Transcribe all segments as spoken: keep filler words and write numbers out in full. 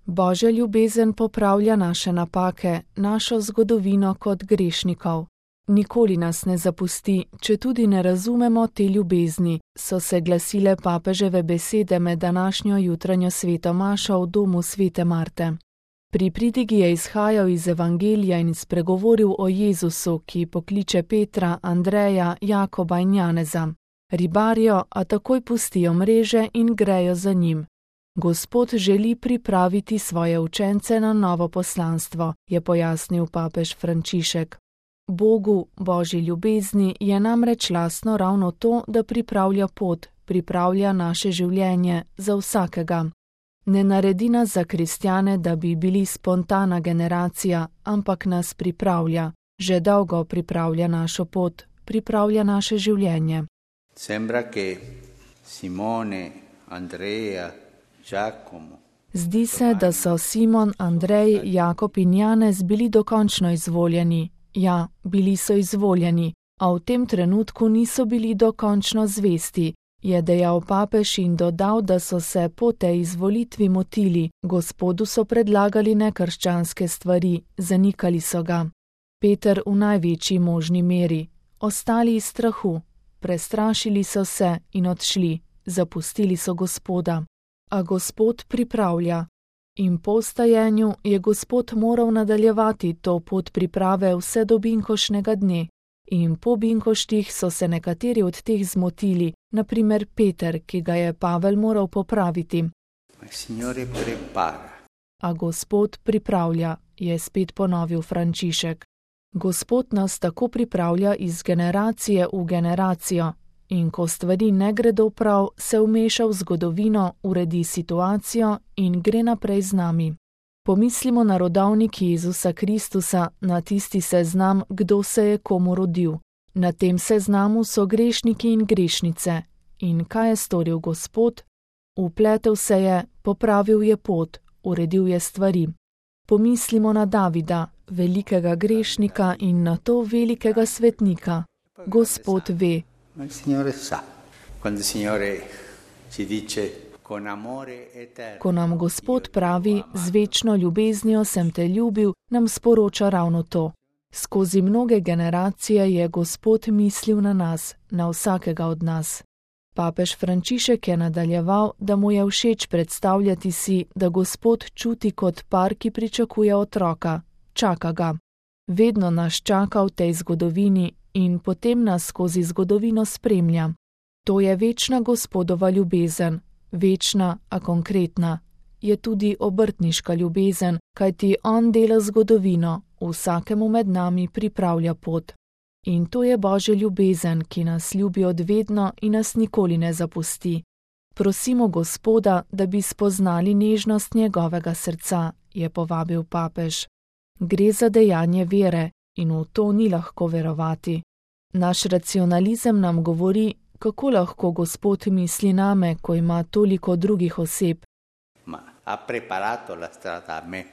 Božja ljubezen popravlja naše napake, našo zgodovino kot grešnikov. Nikoli nas ne zapusti, če tudi ne razumemo te ljubezni, so se glasile papeževe besede med današnjo jutranjo sveto mašo v domu svete Marte. Pri pridigi je izhajal iz evangelija in spregovoril o Jezusu, ki pokliče Petra, Andreja, Jakoba in Janeza. Ribarijo, a takoj pustijo mreže in grejo za njim. Gospod želi pripraviti svoje učence na novo poslanstvo, je pojasnil papež Frančišek. Bogu, Božji ljubezni, je namreč lastno ravno to, da pripravlja pot, pripravlja naše življenje za vsakega. Ne naredi nas za kristjane, da bi bili spontana generacija, ampak nas pripravlja. Že dolgo pripravlja našo pot, pripravlja naše življenje. Sembra che Simone, Andrea, Giacomo. Zdi se, da so Simon, Andrej, Jakob in Janez bili dokončno izvoljeni. Ja, bili so izvoljeni, a v tem trenutku niso bili dokončno zvesti, je dejal papež in dodal, da so se po tej izvolitvi motili. Gospodu so predlagali nekrščanske stvari, zanikali so ga. Peter v največji možni meri, ostali iz strahu, prestrašili so se in odšli, zapustili so Gospoda. A Gospod pripravlja. In po vstajenju je Gospod moral nadaljevati to pot priprave vse do binkošnega dne. In po binkoštih so se nekateri od teh zmotili, na primer Peter, ki ga je Pavel moral popraviti. A Gospod pripravlja, je spet ponovil Frančišek. Gospod nas tako pripravlja iz generacije v generacijo. In ko stvari ne gredo prav, se vmeša v zgodovino, uredi situacijo in gre naprej z nami. Pomislimo na rodovnik Jezusa Kristusa, na tisti seznam, kdo se je komu rodil. Na tem seznamu so grešniki in grešnice. In kaj je storil Gospod? Vpletel se je, popravil je pot, uredil je stvari. Pomislimo na Davida, velikega grešnika in na to velikega svetnika. Gospod ve. Ma il Signore sa, quando il Signore ci dice con amore eterno. Ko nam Gospod pravi, z večno ljubeznijo sem te ljubil, nam sporoča ravno to. Skozi mnoge generacije je Gospod mislil na nas, na vsakega od nas. Papež Frančišek je nadaljeval, da mu je všeč predstavljati si, da Gospod čuti kot par, ki pričakuje otroka, čaka ga. Vedno nas čaka v tej zgodovini in potem nas skozi zgodovino spremlja. To je večna Gospodova ljubezen, večna, a konkretna. Je tudi obrtniška ljubezen, kajti on dela zgodovino, vsakemu med nami pripravlja pot. In to je Božja ljubezen, ki nas ljubi odvedno in nas nikoli ne zapusti. Prosimo Gospoda, da bi spoznali nežnost njegovega srca, je povabil papež. Gre za dejanje vere in v to ni lahko verovati. Naš racionalizem nam govori, kako lahko Gospod misli name, ko ima toliko drugih oseb. Ma ha preparato la strada a me,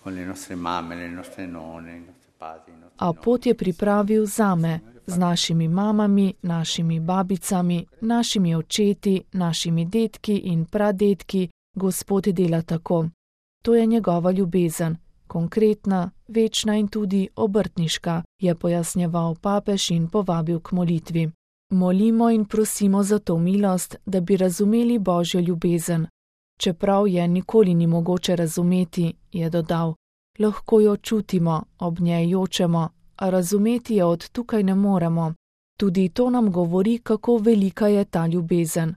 con le nostre mamme, le nostre nonne, i nostri padri, i nostri A pot je pripravil zame, z našimi mamami, našimi babicami, našimi očeti, našimi dedki in pradedki. Gospod dela tako. To je njegova ljubezen. Konkretna, večna in tudi obrtniška, je pojasnjeval papež in povabil k molitvi. Molimo in prosimo za to milost, da bi razumeli Božjo ljubezen. Čeprav je nikoli ni mogoče razumeti, je dodal, lahko jo čutimo, ob njej jočemo, a razumeti jo od tukaj ne moremo. Tudi to nam govori, kako velika je ta ljubezen.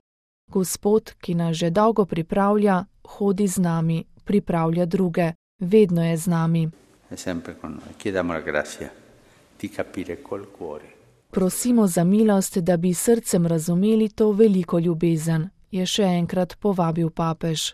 Gospod, ki nas že dolgo pripravlja, hodi z nami, pripravlja druge. Vedno je z nami. Prosimo za milost, da bi srcem razumeli to veliko ljubezen, je še enkrat povabil papež.